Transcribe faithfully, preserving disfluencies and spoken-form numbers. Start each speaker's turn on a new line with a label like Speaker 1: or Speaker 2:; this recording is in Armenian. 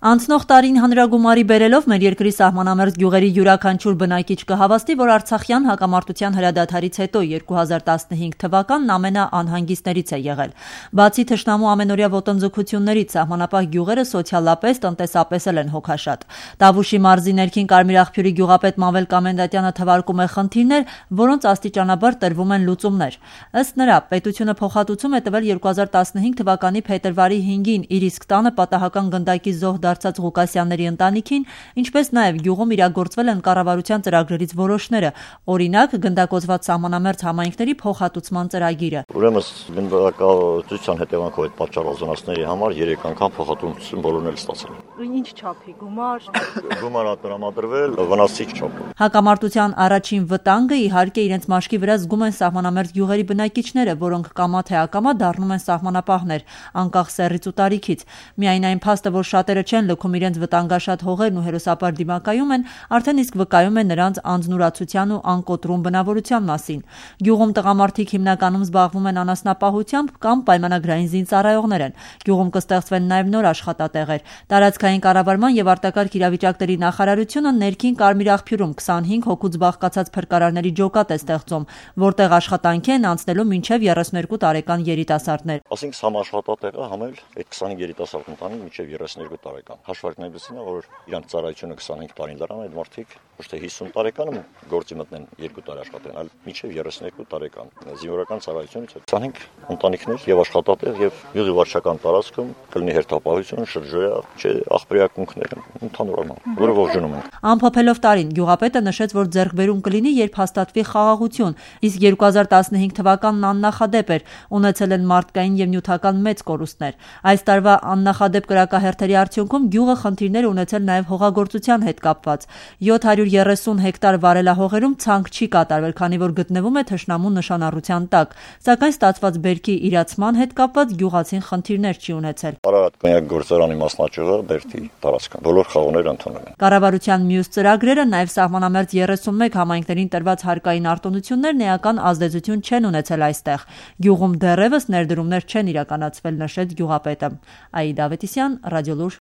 Speaker 1: Անցնող տարին հանրագումարի բերելով մեր երկրի սահմանամերձ գյուղերի յուրաքանչյուր բնակիչ կհավաստի, որ Արցախյան հակամարտության հրադադարից հետո երկու հազար տասնհինգ թվականն ամենաանհանգիստներից է եղել։ Բացի թշնամու ամենօրյա ոտնձգություններից, սահմանապահ գյուղերը սոցիալապես, տնտեսապես էլ են հոգաշատ։ Տավուշի մարզի ներքին Կարմիր աղբյուրի գյուղապետ Մավել Կամենդատյանը թվարկում է խնդիրներ, որոնց աստիճանաբար տրվում են լուծումներ։ Ըստ նրա, պետությունը փոխհատուցում է տվել երկու հազար տասնհինգ թվականի փետրվարի հինգին իր իսկ տանը պատահական գնդակի զոհ դարձած Ղուկասյանների ընտանիքին, ինչպես նաև գյուղում իրագործվել են կառավարության ծրագրերից որոշները, օրինակ գնդակոծված սահմանամերձ համայնքների փոխհատուցման ծրագիրը։
Speaker 2: Ուրեմն գնդակահարության հետևանքով այդ պատճառազանացների համար երեք անգամ փոխհատուցում բոլորն էլ ստացել են։
Speaker 3: Ինչ չափի գումար։
Speaker 2: Գումար տրամադրվել վնասիչ չափով։
Speaker 1: Հակամարտության առաջին վտանգը իհարկե իրենց մաշկի վրա զգում են սահմանամերձ գյուղերի բնակիչները, որոնք կամա թե ակամա դառնում են սահմանապահներ, անկախ սեռից ու տարիքից։ Միայն այն փաստը, որ շատերը չեն լքում իրենց վտանգաշատ հողերն ու հերոսապար դիմակայում են, արդեն իսկ վկայում է նրանց անձնուրացության ու անկոտրում բնավորության մասին։ Գյուղում տղամարդիկ հիմնականում զբաղվում են անասնապահությամբ կամ պայմանագրային զինծառայողներ են։ Գյուղում կստեղծվեն նաև նոր աշխատատեղեր։ Տարածքային կառավարման եւ արտակարգ իրավիճակների նախարարությունը ներքին Կարմիր աղբյուրում քսանհինգ հոգուց բաղկացած փրկարարների ջոկատ է ստեղծում, որտեղ աշխատանքի են անցնելու մինչև երեսներկու տարեկան երիտասարդներ։
Speaker 2: Ասենք համաշխատատեղը համել այդ քսանհինգ երիտասարդ ընտանիք մինչև երեսներկու տարեկան։ Հաշվարկն այնպեսին է, որ իրանց ծառայությունը քսանհինգ տարին դրան այդ մարդիկ ոչ թե հիսուն տարեկանում գործի մտնեն երկու տարի աշխատեն, այլ մինչև երեսներկու տարեկան։ Զինվորական ծառայությունից քսանհինգ ընտանիքներ եւ աշխատատեղ եւ յուղի վարչական տարածքում կլինի հերթապահություն, շրջոյա, չէ, աղբերակունքներ, ընդհանուր առմամբ, որը ողջունում ենք։
Speaker 1: Ամփոփելով տարին, գյուղապետը նշեց, որ ձեռքբերում կլինի, երբ հաստատվի խաղաղություն, իսկ երկու հազար տասնհինգ թվականն աննախադեպ էր, ունեցել են մարդկային եւ նյութական մեծ կորուստներ։ Այս տարվա աննախադեպ կրակահերթերի արդյունքում գյուղը խնդիրներ ունեցել նաև հողագործության հետ կապված։ յոթ հարյուր երեսուն հեկտար վարելահողերում ցանք չի կատարվել, քանի որ գտնվում է թշնամու նշանառության տակ, սակայն ստացված բերքի իրացման հետ կապված գյուղացին խնդիրներ չի ունեցել։
Speaker 2: Արարատ կոնյակ գործարանի մասնաճյուղը Բերդի տարածքն բոլոր խաղողները ընդունել են։
Speaker 1: Կառավարության մյուս ծրագրերը, նաև սահմանամերձ երեսունմեկ համայնքներին տրված հարկային արտոնություններն էական ազդեցություն չեն ունեցել այստեղ։ Գյուղում դեռևս ներդրումներ չեն իրականացվել, նշեց գյուղապետը։ Աիդա Ավետիսյան, Ռադիոլուր